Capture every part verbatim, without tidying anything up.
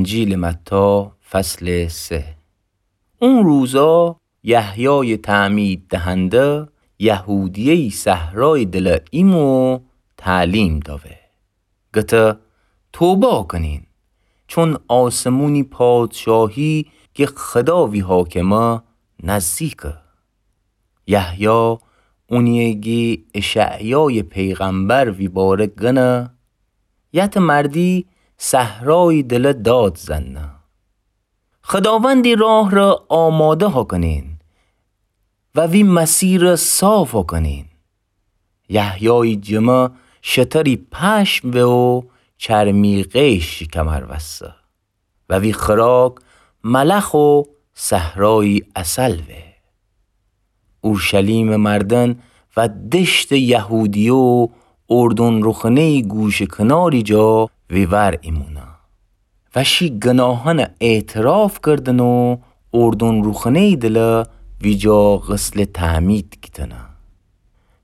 انجیلٚ متی، فصلٚ سه. او روزا یحیایٚ تعمیددهنده یهودیه‌یٚ صحرایٚ دله ایمو تعلیم دأوه، گته: توبه کنین، چون آسمونی پادشاهی کی خدا وی حاکمه نزدیکه. یحیی اونیی گی اشعیایٚ پیغمبر وی باره گنه: یتٚ مردی صحرایٚ دله داد زنه: خداوندی راه ره آماده هاکنین و وی مسیره صاف هاکنین. یحیایٚ جمه شتری پشم وه و چرمی قیش شی کمر وسه و وی خوراک ملخ و صحرایی عسل وه. اورشلیمٚ مردن و دشتٚ یهودیه و اردن روخونه‌یٚ گوشٚ کناری جا وی ور ایمونه و شی گناهنه اعتراف کردنه و اردن روخونه‌یٚ دله ویجا غسلٚ تعمید گیتنه.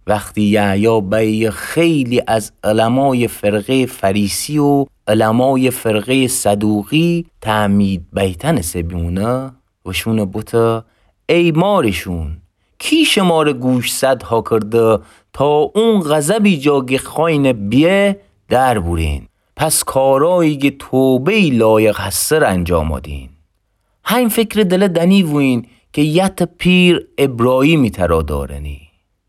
وختی یحیی بیه، خیلی از علمایٚ فرقه‌یٚ فریسی و علمایٚ فرقه‌یٚ صدوقی تعمید بیتنٚ سه بیمونه، وشونه بوته: ای مارشون، کی شماره گوشزد هاکرده تا اون غضبی جا گی خوأینه بیه در بورین؟ پس کارایی گی توبه‌یٚ لایق هسه ره انجام دین. هین فکرٚ دله دنی وویین کی یتٚ پیر ابراهیمی ترا دارنی.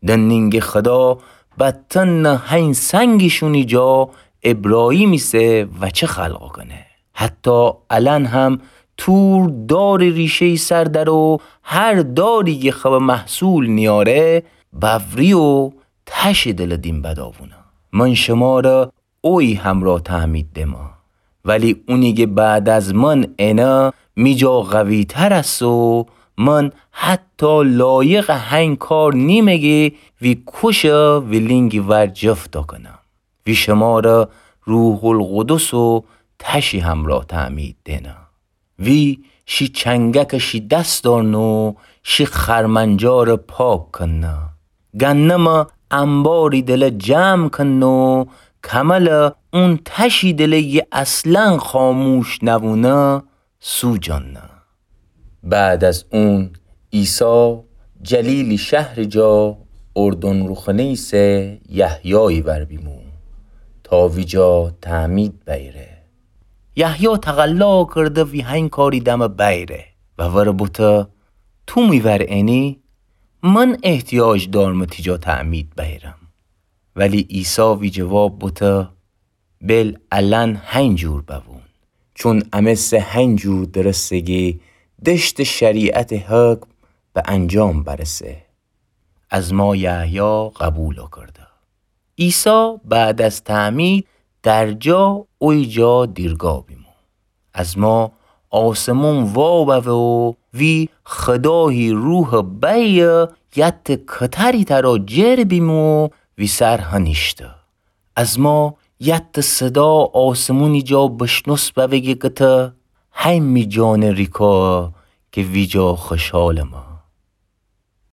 دنینگی خدا بتن هین سنگیشونی جا ابراهیمی سه وچه خلق کنه. حتی الأن هم تور دارٚ ریشه‌یٚ سر دره و هر داری گی خب محصول نیاره، بوری و تشٚ دله دیم بداوونه. من شماره اویی همرا تعمید دمه، ولی اونی گی بعد از من انه می جا قوی‌تر اسه و من حتی لایقٚ هین کار نیمه گی وی کوشه وی لینگی ور جفت کنم. وی شماره روح‌القدس و تشی همرا تعمید دنه. وی شی چنگک شی دس دارنه و شی خرمنجار پاک کنه. گندم انباری دله جمع کنه و کمل اون تشی دله گی اصلاً خاموش نوونه سوجانه. بعد از اون عیسی جلیلی شهری جا اردن روخونه‌یی سه یحیایی ور بیمو تا ویجا تعمید بیره. یحیی تقلا کرده وی هین کاری دمه بیره و وره بوته: تو می ور انی؟ من احتیاج دارمه تیجا تعمید بیرم. ولی عیسی وی جواب بوته: بل الأن هین جور بوون، چون امه سه هین جور درسه گی دشتٚ شریعتٚ حکم به انجام برسه. از ما یحیی قبول کرده. عیسی بعد از تعمید در جا اوی جا دیرگا بیمو. از ما آسمون وا بوه و وی خدایی روح بیه یتٚ کتری ترا جر بیمو و وی سر هنیشته. از ما یتٚ صدا آسمونی جا بشنوس بوه گی گته: هین می جانٚ ریکا کی ویجا خوشحالمه.